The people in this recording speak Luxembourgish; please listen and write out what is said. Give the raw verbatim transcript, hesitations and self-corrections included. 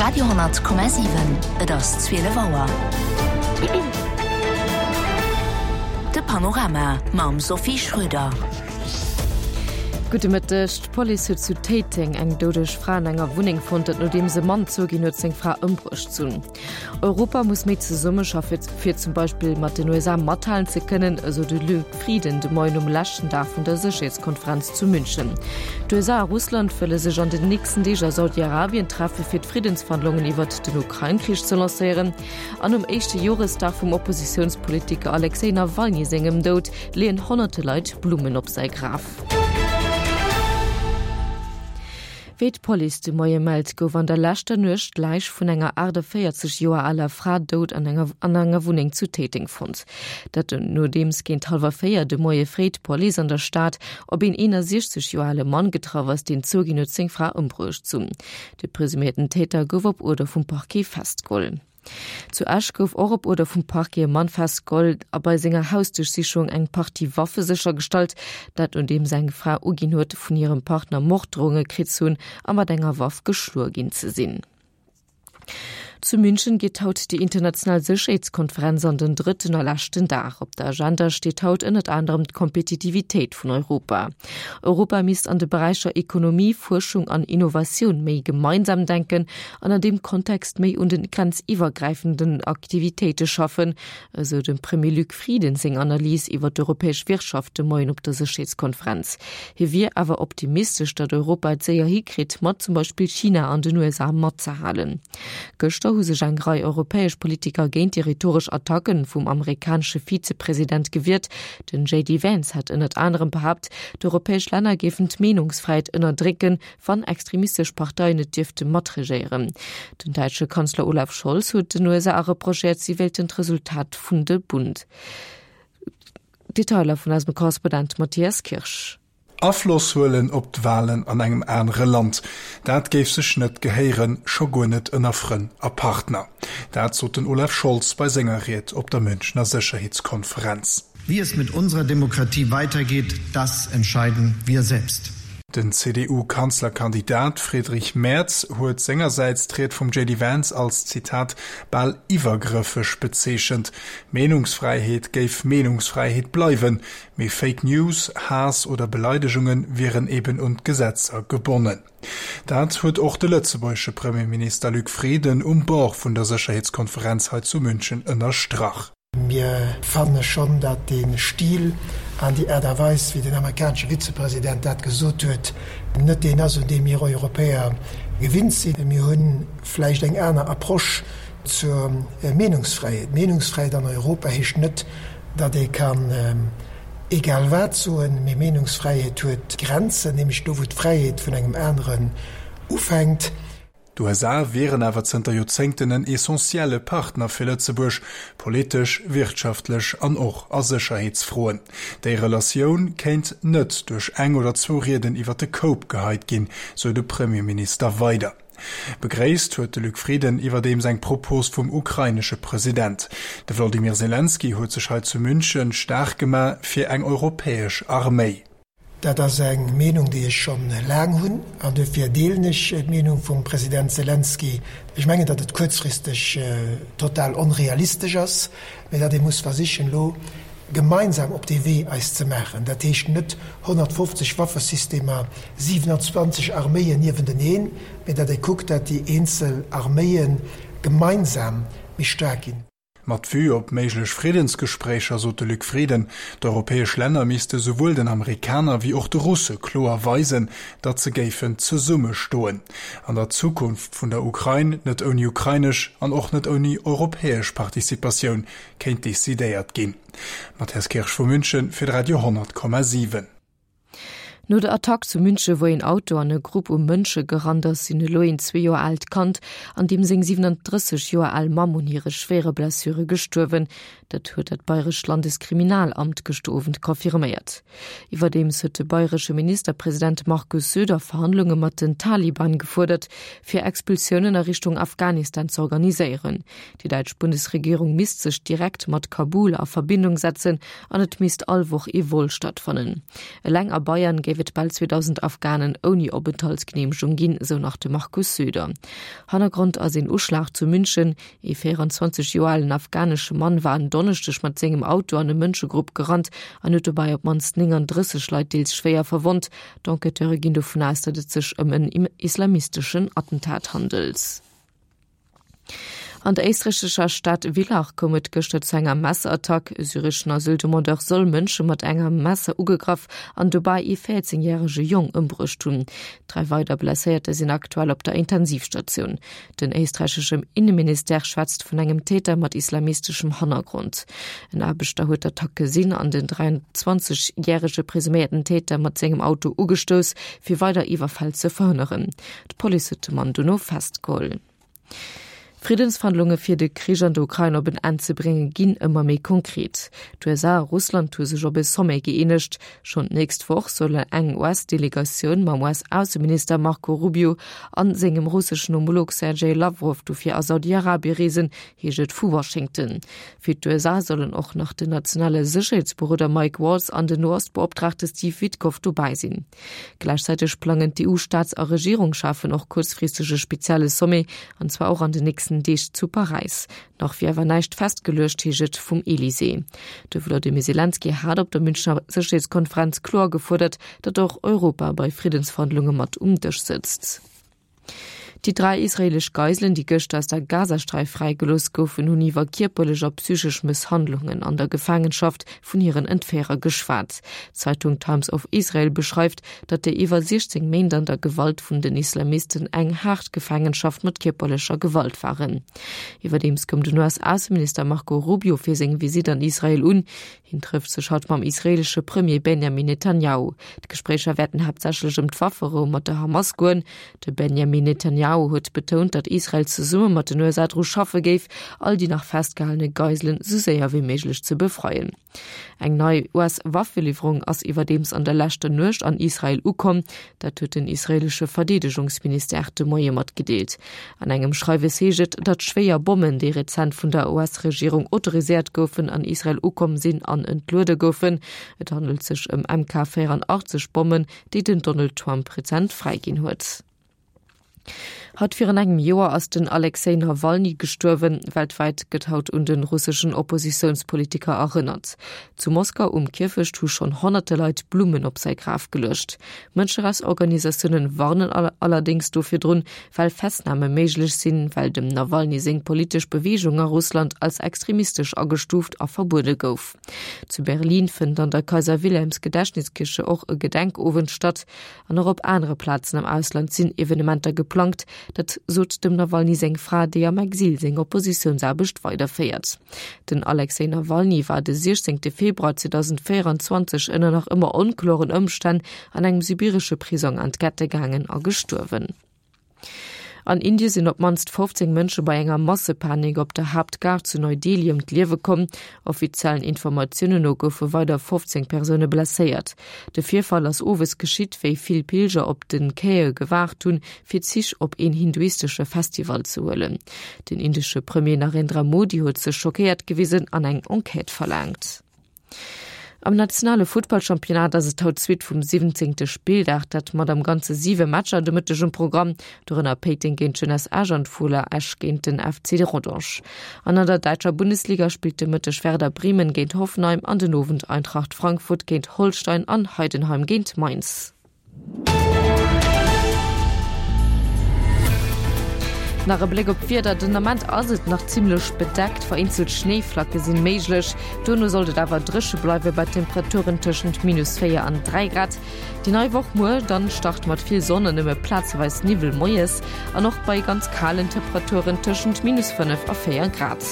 Radio honnert Komma siwen, Et ass zwielef Auer. De Panorama mam Sophie Schröder. Gudde Mëtteg, D'Police huet zu Téiteng eng doudeg Fra an enger Wunneng fonnt, dat nodeems e Mann zouginn huet, seng Fra ëmbruecht ze hunn. Europa muss méi zesummeschaffe fir zum Beispill mat den U S A mathalen ze kënnen, esou de Luc Frieden de Moien um leschten Dag vun der Sécherheetskonferenz zu München. D'U S A a Russland wëlle sech an den nächsten Deeg a Saudi-Arabien treffe fir d'Friddensverhandlungen iwwert den Ukrain-Krich ze lancéieren. An um éischte Joresdag vum Oppositiounspolitiker Alexej Nawalny sengem Doud leeën honnerte Leit Blummen op säi Graf. Wéi d'Police de Moie mellt, gouf an der leschter Nuecht d'Läich vun enger achtundvéierzeg Joer aler Fra dout an enger an enger Wunneng zu Téiteng fonnt. Dat nodeems géint hallwer véier de Moie fréi d'Police an der Stad op een eenundsechzeg Joer ale Mann getraff ass, deen zouginn huet, seng Fra ëmbruecht ze hunn. De presuméierten Täter gouf op Uerder vum Parquet festgeholl. Zu Esch gouf och op Uerder vum Parquet e Mann festgeholl a bei senger Hausduerchsichung eng Partie Waffe séchergestallt, dat nodeems eng Fra uginn huet, vun hirem Partner Morddrohunge kritt ze hunn a mat enger Waff geschloe ginn ze sinn. Zu München geet haut déi international Sécherheetskonferenz an den drëtten a leschten Dag. Op der Agenda steet haut ënnert anerem d'Kompetitivitéit vun Europa. Europa misst an de Beräicher Ekonomie, Fuerschung an Innovatioun méi gemeinsam denken an an deem Kontext méi un den grenziwwergräifenden Aktivitéite schaffen, esou dem Premier Luc Frieden seng Analys iwwer d'europäesch Wirtschaft de Moien op der Sécherheetskonferenz. Hie wier awer optimistesch, datt Europa et séier hikritt, mat zum Beispill China an den U S A matzehalen. Gëschter hu sech eng Rei europäesch Politiker géint déi rhetoresch Attacken vum amerikanesche Vizepresident gewiert. Den J D Vance hat ënnert anerem behaupt, d'europäesch Länner géifen d'Meenungsfräiheet ënnerdrécken, wann extremistesch Parteien net dierfte matregéieren. Den däitsche Kanzler Olaf Scholz huet den U S A reprochéiert, si wéilten d'Resultat vun de Bund. Detailer vun eisem Korrespondent Matthias Kirsch. Afloss huelen op d'Wahlen an engem anere Land. Dat géif sech net gehéieren, scho guer net ënner Frënn a Partner. Dat sot den Olaf Scholz bei senger Ried op der Münchner Sicherheitskonferenz. Wie es mit unserer Demokratie weitergeht, das entscheiden wir selbst. Den C D U-Kanzlerkandidat Friedrich Merz huet sengerseits d'Ried vum J D Vance als Zitat bal iwwergrëffeg bezeechent. Meenungsfreiheet géif Meenungsfreiheet bleiwen, mee Fake News, Haass oder Beleidigungen wieren eben un d'Gesetzer gebonnen. Dat huet och de lëtzebuergesche Premierminister Luc Frieden um Bord vun der Sicherheitskonferenz hei zu München ënnerstrach. Mir fanden schon, dat den Stil an die Art a Weis, wie den amerikanische Vizepräsident dat gesot huet, net den ass, un dem mir Europäer gewinnt sinn. Mir hunn vläicht eng aner Approche zur Meenungsfreiheit. Meenungsfreiheit an Europa heescht net, dat ee kann, ähm, egal wat soen, mee Meenungsfreiheit huet Grenzen, nämlich do, wou d'Freiheet vun engem anderen ufänkt. D'U S A wären awer zënter Joerzéngten en essentielle Partner fir Lëtzebuerg, politesch, wirtschaftlech an och a Sécherheetsfroen. Déi Relatioun kéint net duerch eng oder zwou Rieden iwwer de Koup geheit ginn, sou de Premierminister weider. Begréisst huet de Luc Frieden iwwerdeems eng Propos vum ukrainesche President. De Wladimir Zelensky huet sech hei zu München stark gemaach fir eng europäesch Arméi. Dat ass eng Meenung, déi ech schon lang hunn, an dofir deelen ech d'Meenung vum President Zelensky. Ech menge, datt et kuerzfristeg, äh, total onrealistesch ass, mee datt ee muss versichen, lo gemeinsam op de Wee eis ze maachen. Dat heescht net honnertfünfzig Waffesystemer, siebenundzwanzig Arméien niewenteneen, mee datt ee kuckt, datt déi eenzel Arméien gemeinsam méi staark ginn. Mat Vue op méiglech Friedensgespréicher, sot de Luc Frieden, d'europäesch Länner misste souwuel den Amerikaner wéi och de Russe kloer weisen, datt se géifen zesummestoen. An der Zukunft vun der Ukrain net ouni ukrainesch an och net ouni europäesch Participatioun kéint decidéiert ginn. Matthias Kirsch vu München fir Radio honnert Komma siwen. No der Attack zu München, wo ein Auto an eine Gruppe um Mënsche gerannt ass, sinn elo een zwee Joer alt Kand, an deem seng siebenunddrësseg Joer al Mamm un hire schwere Blessure gestuerwen. Dat huet dat Bayerescht Landeskriminalamt gëschter Owend confirméiert. Iwwerdeems huet de bayeresche Ministerpresident Markus Söder Verhandlunge mat den Taliban gefuerdert, fir Expulsiounen a Richtung Afghanistan ze organiséieren. Déi däitsch Bundesregierung misst sech direkt mat Kabul a Verbindung setzen an et misst all Woch ee Vol stattfannen. Eleng a Bayern géifen géif et bal zweedausend Afghanen ouni Openthaltsgeneemegung ginn, sou nach de Markus Söder. Hannergrond ass een Uschlag zu München. Ee véierundzwanzeg Joer alen afghanesche Mann war en Donneschdeg mat sengem Auto an e Mënschegrupp gerannt an huet dobäi op d'mannst nénganddrësseg Leit deels schwéier verwonnt. D'Enquêteure ginn dovun aus, datt et sech ëm en islamisteschen Attentat handelt. An der éisträichescher Stad Villach koum et gëschter zu enger Messerattack. E syreschen Asyldemandeur soll Mënsche mat engem Messer ugegraff an dobäi ee véierzéng järege Jong ëmbruecht hunn. Dräi weider Blesséierter sinn aktuell op der Intensivstatioun. Den éisträicheschem Inneministère schwätzt vun engem Täter mat islamisteschem Hannergrond. En Aarbechter huet d'Attack gesinn an den dräiandzwanzeg järege presuméierten Täter mat sengem Auto ugestouss, fir weider Iwwerfäll ze verhënneren. D'Police huet de Mann dono festgeholl. Friddensverhandlunge fir de Krich an der Ukrain op en Enn ze bréngen, ginn ëmmer méi konkret. D'USA a Russland hu sech op e Sommet gëeenegt. Schonn d'nächst Woch soll eng US-Delegatioun mam US-Ausseminister Marco Rubio a sengem russeschen Homolog Sergej Lawrow dofir a Saudi-Arabie reesen, heescht et vu Washington. Fir d'USA sollen och nach den nationale Sécherheetsberoder Mike Waltz an den No-Ost-Beoptraagte Steve Witkoff dobäi sinn. Gläichzäiteg plangen d'EU-Staats a Regierungscheffen och kuerzfristeg e spezielle Sommet, an zwar och an den nächsten Deeg zu Paräis. Nach wier awer näischt festgeluecht, heescht et vum Elysée. De Wlodimir Selenskyj hat op der Münchner Sécherheetskonferenz kloer gefuerdert, datt och Europa bei Friddensverhandlunge mat um Dësch sëtzt. Déi dräi israeelesch Geiselen, déi gëschter aus der Gazasträif fräigelooss goufen, hunn iwwer kierperlech a psychesch Mësshandlungen an der Gefaangenschaft vun hiren Entféierer geschwat. D'Zeitung Times of Israel beschreift, datt déi iwwer siechzéng Méint an der Gewalt vun den Islamisten eng haart Gefaangenschaft mat kierperlecher Gewalt waren. Iwwerdeems koum den U S-Ausseminister Marco Rubio fir seng Visitt an Israel un. Hien trëfft sech haut mam israeelesche Premier Benjamin Netanjahu. D'Gespréicher wäerten haaptsächlech ëm d'Wafferou mat der Hamas goen. De Benjamin Netanjahu huet betount, datt Israel zesumme mat den U S A dru schaffe géif, all déi nach festgehalene Geiselen sou séier wéi méiglech ze befreien. Eng nei U S-Waffeliwwerung ass iwwerdeems an der leschter Nuecht an Israel ukomm. Dat huet den israeelesche Verdeedegungsministère de Moie matgedeelt. An engem Schreiwes heescht et, datt schwéier Bommen, déi rezent vun der U S-Regierung autoriséiert goufen, an Israel ukomm sinn an entluede goufen. Et handelt sech ëm M K véierandachtzeg Bommen, déi den Donald Trump rezent fräiginn huet. Haut virun engem Joer ass den Alexej Nawalny gestuerwen. Weltwäit gëtt haut un de russeschen Oppositiounspolitiker erënnert. Zu Moskau um Kierfecht hu schonn honnerte Leit Blummen op säi Graf geluecht. Mënscherechtsorganisatioune warnen allerdéngs do virdrun, well Festname méiglech sinn, well dem Nawalny seng politesch Beweegung a Russland als extremistesch agestuuft a verbuede gouf. Zu Berlin fënnt an der Kaiser-Wilhelms-Gedächtniskirche och e Gedenkowend statt. An och op anere Plazen am Ausland sinn Evenementer geplangt. Dat sot dem Nawalny seng Fra, déi am Exil seng Oppositiounsaarbecht weiderféiert. Den Alexej Nawalny war de siechzéngte Februar zweedausendvéierundzwanzeg ënner nach ëmmer onkloren Ëmstänn an engem sibiresche Prisong an d'Gette gaangen a gestuerwen. An Indie sinn op d'mannst fofzéng Mënsche bei enger Massepanik op der Haaptgare zu Neu-Delhi ëm d'Liewe komm. Offiziellen Informatiounen no goufe weider fofzéng Persoune blesséiert. De Virfall ass owes geschitt, wéi vill Pilger op de Quaie gewaart hunn, fir Zich op een hinduistesche Festival ze huelen. Den indesche Premier Narendra Modi huet sech schockéiert gewisen an eng Enquête verlaangt. Am nationale Futtballchampionnat ass et haut d'Suite vum siwwenzéngte Spilldag, dat mat am Ganze siwe Matcher de Mëtteg um Programm, dorënner Péiteng géint d'Jeunesse Esch an d'Fola Esch géint den F C Rodange. An an der däitscher Bundesliga spillt de Mëtteg Werder Bremen géint Hoffenheim an den Owend Eintracht Frankfurt géint Holstein an Heidenheim géint Mainz. Nach e Bléck op d'Wieder, Den Ament ass et nach zimmlech bedeckt, vereenzelt Schnéiflacke sinn méiglech. Dono sollt et awer dréche bleiwe bei Temperaturen tëschent minus véier an dräi Grad. Déi nei Woch muer dann start mat vill Sonn an nëmme plazeweis Niwwel moies an och bei ganz kalen Temperaturen tëschent minus fënnef a véier Grad.